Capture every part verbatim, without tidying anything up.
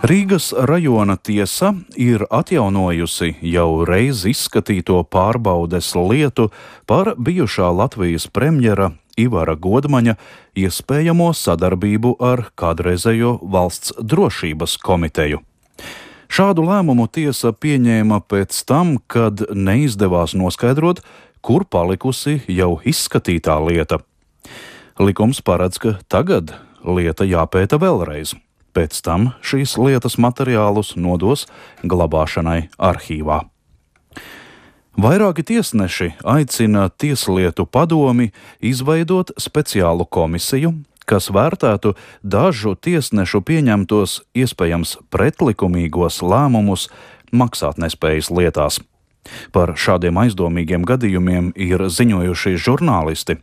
Rīgas rajona tiesa ir atjaunojusi jau reiz izskatīto pārbaudes lietu par bijušā Latvijas premjera Ivara Godmaņa iespējamo sadarbību ar kādreizējo Valsts drošības komiteju. Šādu lēmumu tiesa pieņēma pēc tam, kad neizdevās noskaidrot, kur palikusi jau izskatītā lieta. Likums paredz, ka tagad lieta jāpēta vēlreiz. Pēc tam šīs lietas materiālus nodos glabāšanai arhīvā. Vairāki tiesneši aicina Tieslietu padomi izveidot speciālu komisiju, kas vērtētu dažu tiesnešu pieņemtos iespējams pretlikumīgos lēmumus maksātnespējas lietās. Par šādiem aizdomīgiem gadījumiem ir ziņojuši žurnālisti.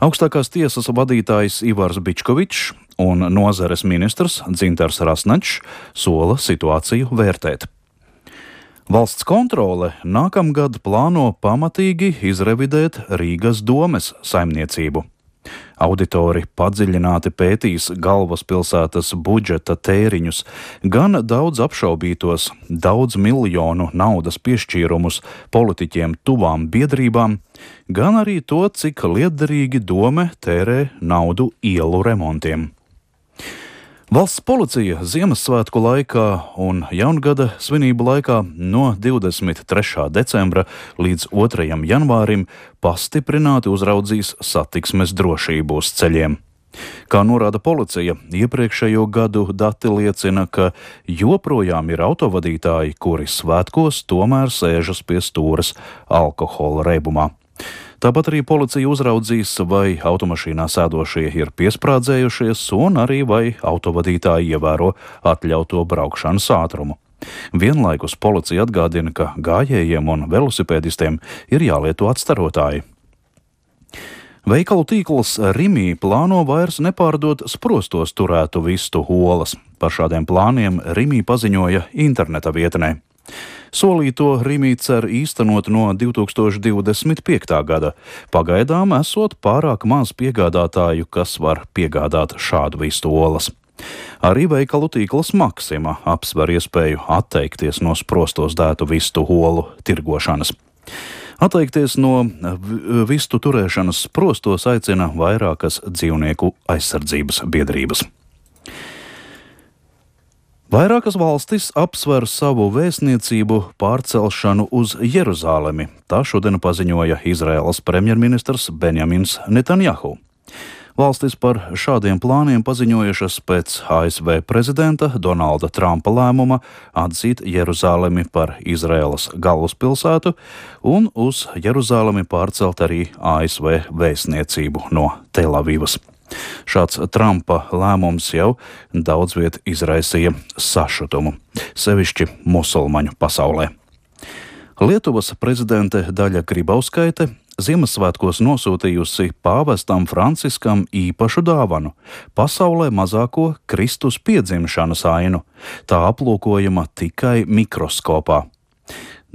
Augstākās tiesas vadītājs Ivars Bičkovičs un nozares ministrs Dzintars Rasnačs sola situāciju vērtēt. Valsts kontrole nākamgad plāno pamatīgi izrevidēt Rīgas domes saimniecību. Auditori padziļināti pētīs galvaspilsētas budžeta tēriņus, gan daudz apšaubītos, daudz miljonu naudas piešķīrumus politiķiem tuvām biedrībām, gan arī to, cik lietderīgi dome tērē naudu ielu remontiem. Valsts policija Ziemassvētku laikā un Jaungada svinību laikā no divdesmit trešā decembra līdz otrajam janvārim pastiprināti uzraudzīs satiksmes drošību uz ceļiem. Kā norāda policija, iepriekšējo gadu dati liecina, ka joprojām ir autovadītāji, kuri svētkos tomēr sēžas pie stūres alkohola reibumā. Tāpat arī policija uzraudzīs, vai automašīnā sēdošie ir piesprādzējušies un arī vai autovadītāji ievēro atļauto braukšanas ātrumu. Vienlaikus policija atgādina, ka gājējiem un velosipēdistiem ir jālieto atstarotāji. Veikalu tīkls Rimī plāno vairs nepārdot sprostos turētu vistu olas. Par šādiem plāniem Rimī paziņoja interneta vietnē. Solīto Rimī cer īstenot no divi tūkstoši divdesmit piektā gada. Pagaidām esot pārāk maz piegādātāju, kas var piegādāt šādu vistu olas. Arī veikalu tīkls Maksima apsver iespēju atteikties no sprostos dētu vistu olu tirgošanas. Atteikties no vistu turēšanas sprostos aicina vairākas dzīvnieku aizsardzības biedrības. Vairākas valstis apsver savu vēstniecību pārcelšanu uz Jeruzālemi. Tā šodien paziņoja Izraēlas premjerministrs Benjamins Netanjahu. Valstis par šādiem plāniem paziņojušas pēc A S V prezidenta Donalda Trumpa lēmuma atzīt Jeruzālemi par Izraēlas galvaspilsētu un uz Jeruzālemi pārcelt arī A S V vēstniecību no Telavivas. Šāds Trumpa lēmums jau daudz viet izraisīja sašutumu, sevišķi musulmaņu pasaulē. Lietuvas prezidente Daļa Grybauskaite Ziemassvētkos nosūtījusi pāvestam Franciskam īpašu dāvanu – pasaulē mazāko Kristus piedzimšanas ainu. Tā aplūkojama tikai mikroskopā.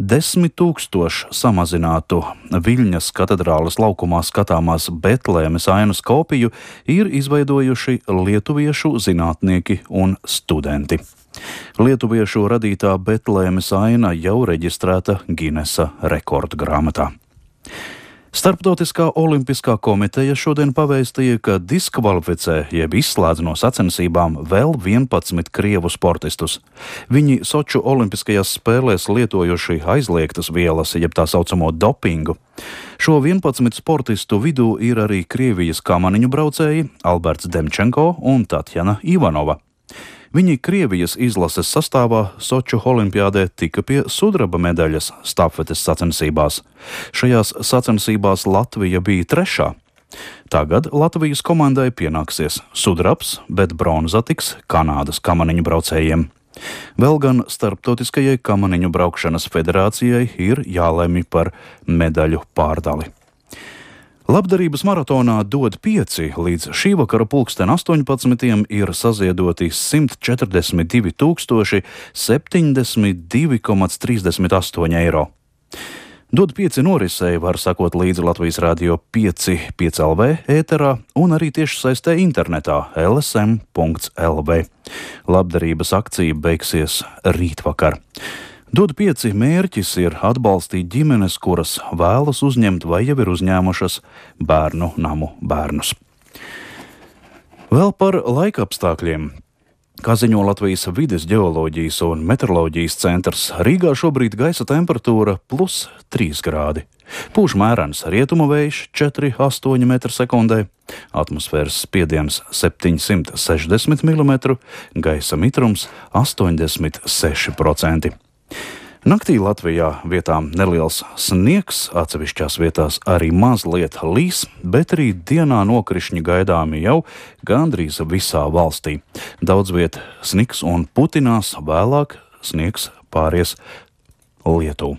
Desmit tūkstošu samazinātu Viļņas katedrāles laukumā skatāmās Betlēmes ainas kopiju ir izveidojuši lietuviešu zinātnieki un studenti. Lietuviešu radītā Betlēmes aina jau reģistrēta Ginesa rekordgrāmatā. Starptautiskā olimpiskā komiteja šodien pavēstīja, ka diskvalificē jeb izslēdz no sacensībām vēl vienpadsmit krievu sportistus. Viņi Soču olimpiskajās spēlēs lietojuši aizliegtas vielas, jeb tā saucamo dopingu. Šo vienpadsmit sportistu vidū ir arī Krievijas kamaniņu braucēji Alberts Demčenko un Tatjana Ivanova. Viņi Krievijas izlases sastāvā Soču olimpiādē tika pie sudraba medaļas stafetes sacensībās. Šajās sacensībās Latvija bija trešā. Tagad Latvijas komandai pienāksies sudrabs, bet bronza tiks Kanādas kamaniņu braucējiem. Vēl gan Starptautiskajai kamaniņu braukšanas federācijai ir jālemj par medaļu pārdali. Labdarības maratonā Dod pieci līdz šī vakara pulksten astoņpadsmitiem ir saziedoti simt četrdesmit divi tūkstoši septiņdesmit divi komats trīsdesmit astoņi eiro. Dod pieci norisei var sakot līdzi Latvijas Rādio pieci, pieci L V ēterā un arī tieši saistē internetā L S M punkts L V. Labdarības akcija beigsies rītvakar. Dod pieci mērķis ir atbalstīt ģimenes, kuras vēlas uzņemt vai jau ir uzņēmušas bērnu namu bērnus. Vēl par laikapstākļiem. Kā ziņo Latvijas vides ģeoloģijas un meteoroloģijas centrs, Rīgā šobrīd gaisa temperatūra plus trīs grādi. Pūš mērens rietumu vējš četri komats astoņi metri sekundē, atmosfēras spiediens septiņsimt sešdesmit milimetri, gaisa mitrums astoņdesmit seši procenti. Naktī Latvijā vietām neliels sniegs, atsevišķās vietās arī mazliet līs, bet arī dienā nokrišņi gaidāmi jau gandrīz visā valstī. Daudz viet sniks un putinās, vēlāk sniegs pāries lietu.